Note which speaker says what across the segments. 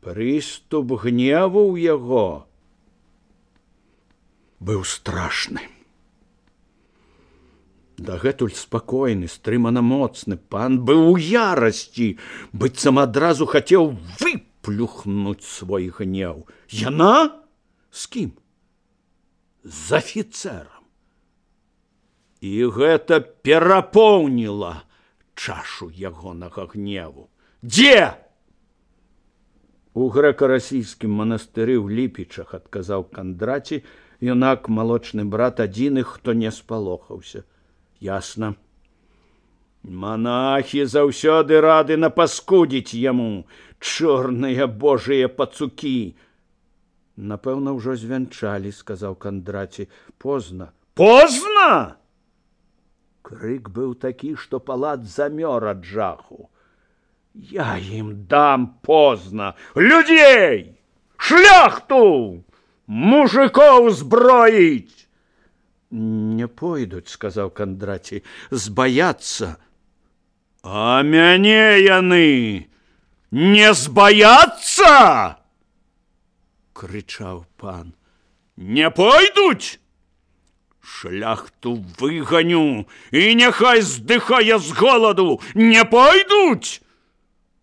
Speaker 1: Прыступ гневу ў яго быў страшны. Дагэтуль спакойны, стрымана моцны пан быў у ярасці, быццам адразу хацеў выплюхнуць свой гнеў. Яна? З кім? З афіцэрам. І гэта перапоўніла чашу ягонага гневу. Дзе? У грэка-расійскім манастыры ў Ліпічах, адказаў Кандраці, юнак, малочны брат, адзіны, хто не спалохаўся. Ясна. Монахі заўсёды рады напаскудзіць яму, чорныя божыя пацукі. Напэўна, ўжо звянчалі, сказаў Кандраці. Позна. Позна? Крык быў такі, што палац замёр ад жаху. Я ім дам позна. Людзей! Шляхту! Мужикоў зброіць! Не пойдуць, сказаў Кандраці, збаяцца. А мяне яны не збаяцца? Крычаў пан. Не пойдуць? Шляхту выганю, і няхай здыхае з голаду. Не пойдуць?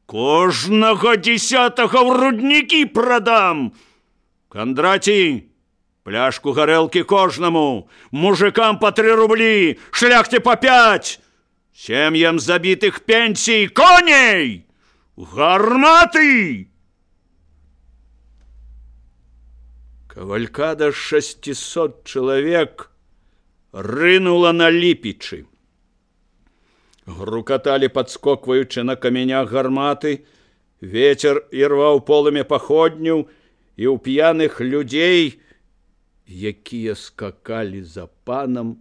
Speaker 1: Кожнага 10-го ў руднікі прадам. Кандраці, пляшку гарэлкі кожнаму, мужикам по 3 рублі, шляхце по 5, сем'ям забітых пенсій, коней, гарматы! Кавалькада 600 чалавек рынула на Ліпічы. Грукаталі, падскокваючы на каменях гарматы, вецер ірваў полымя паходняў, і ў п'яных людзей, якія скакалі за панам,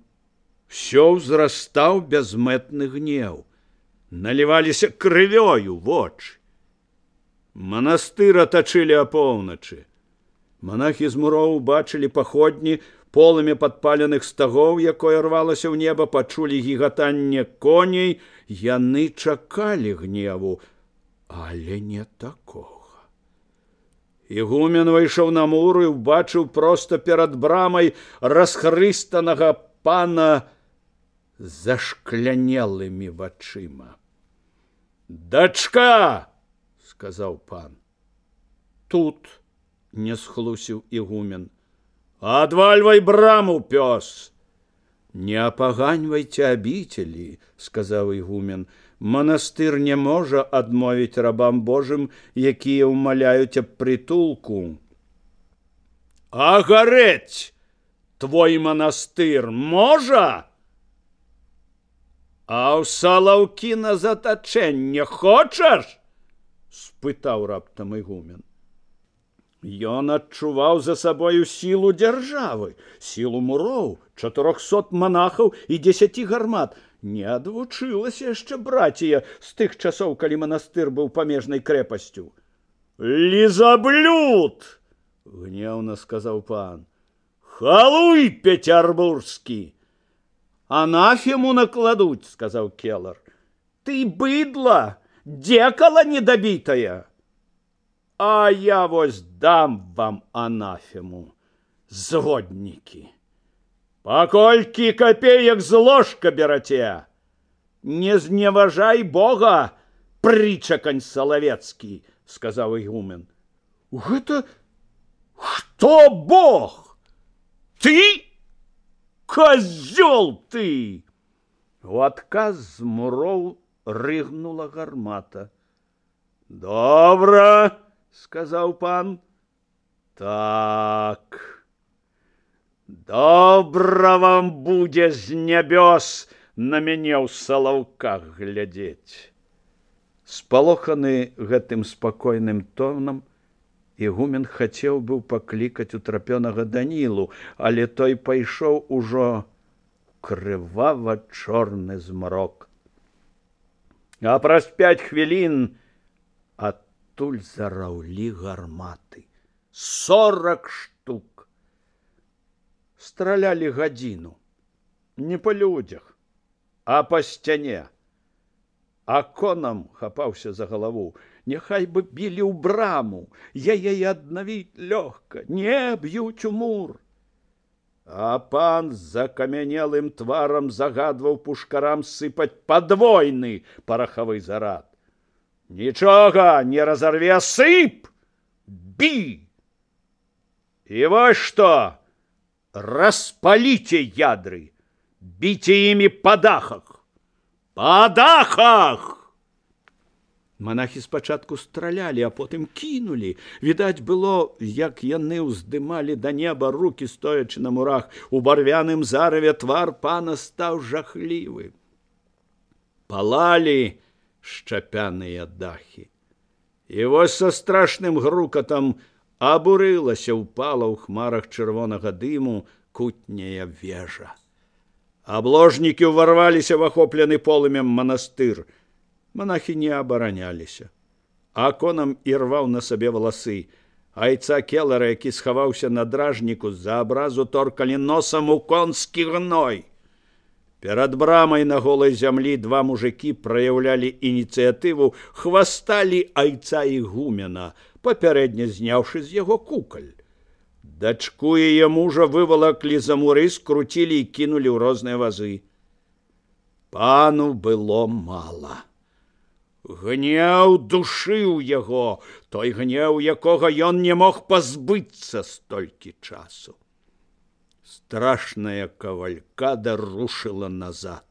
Speaker 1: усё ўзрастаў бязмэтны гнеў. Наліваліся крывёю вочы. Манастыр атачылі апоўначы. Монахі з муроў бачылі паходні, полымя падпаленых стагоў, якое рвалася ў неба, пачулі гігатанне коней. Яны чакалі гневу, але не такога. Ігумен выйшаў на мур і ўбачыў проста перад брамай расхрыстанага пана з зашклянелымі вачыма. Дачка, сказаў пан. Тут, не схлусіў ігумен. Адвальвай браму, пёс. Не апаганьвайце абіцелі, сказаў ігумен. Манастыр не можа адмовіць рабам Божым, якія ўмаляюць аб прытулку. А гарэць твой манастыр можа? А ў салаўкі на затачэнне хочаш? Спытаў раптам ігумен. Ён адчуваў за сабою сілу дзяржавы, сілу муроў, 400 монахаў і 10 гармат. Не адвучылася яшчэ братія з тых часоў, калі манастыр быў памежнай крэпасцю. Лізаблюд! Гневна сказаў пан. Халуй пецярбурскі! Анафему накладуць, сказаў келар. Ты быдла, дзекала недабітая. А я вось дам вам анафему, зводнікі. Паколькі копеек з ложка бераце? Не зневажай Бога, прычакань салавецкі, сказаў ігумен. Гэта хто Бог? Ты? Козёл ты! У адказ з муроў рыгнула гармата. Добра, сказаў пан. Так. Добра вам будзе з нябёс на мяне ў салаўках глядзець. Спалоханы гэтым спакойным тонам, ігумен хацеў быў паклікаць утрапёнага Данілу, але той пайшоў ужо крывава-чорны змрок. А праз 5 хвілін адтуль зараўлі гарматы. 40 штук. Стралялі гадзіну. Не па людзях, а па сцяне. А конам хапаўся за галаву. Няхай бы білі ў браму, яе аднавіць лёгка, не б'юць у мур. А пан з закамянелым тварам загадваў пушкарам сыпаць падвойны парахавы зарад. Нічога не разорве, сып, бі. І вось што, распаліце ядры, біце імі па дахах. Па дахах! Монахі спачатку стралялі, а потым кінулі. Відаць было, як яны ўздымалі да неба рукі, стоячы на мурах. У барвяным зараве твар пана стаў жахлівы. Палалі шчапяныя дахі. І вось са страшным грукатам абурылася, упала ў хмарах чырвонага дыму кутняя вежа. Абложнікі ўварваліся в ахоплены полымем манастыр. Монахі не абараняліся. Аконам ірваў на сабе валасы. Айца келара, які схаваўся на дражніку, з-за абразу торкалі носам у конскі гной. Перад брамай на голай зямлі два мужыкі праяўлялі ініцыятыву, хвасталі айца ігумена, папярэдне зняўшы з яго кукаль. Дачку яе мужа вывалаклі за муры, скруцілі і кінулі ў розныя вазы. Пану было мала. Гнеў душыў яго, той гнеў, якога ён не мог пазбыцца столькі часу. Страшная кавалькада рушыла назад.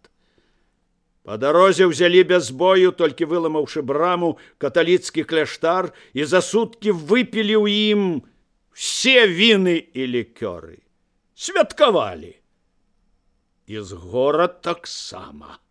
Speaker 1: Па дарозе ўзялі без бою, толькі выламаўшы браму, каталіцкі кляштар і за суткі выпілі ў ім все віны і лікёры. Святкавалі. І з гора таксама.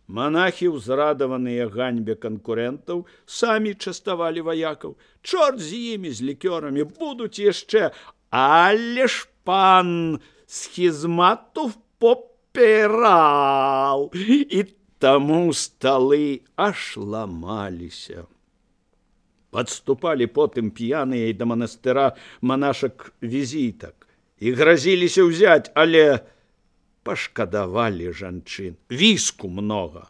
Speaker 1: Монахі, узрадаваныя ганьбе канкурентаў, самі частавалі ваякаў. Чорт з імі, з лікёрамі, будуць яшчэ. Але ж пан схізмату попіраў. І таму сталы аж ламаліся. Падступалі потым п'яныя і да манастыра монашак візітак. І гразіліся ўзяць, але пашкадавалі жанчын. Віску многа.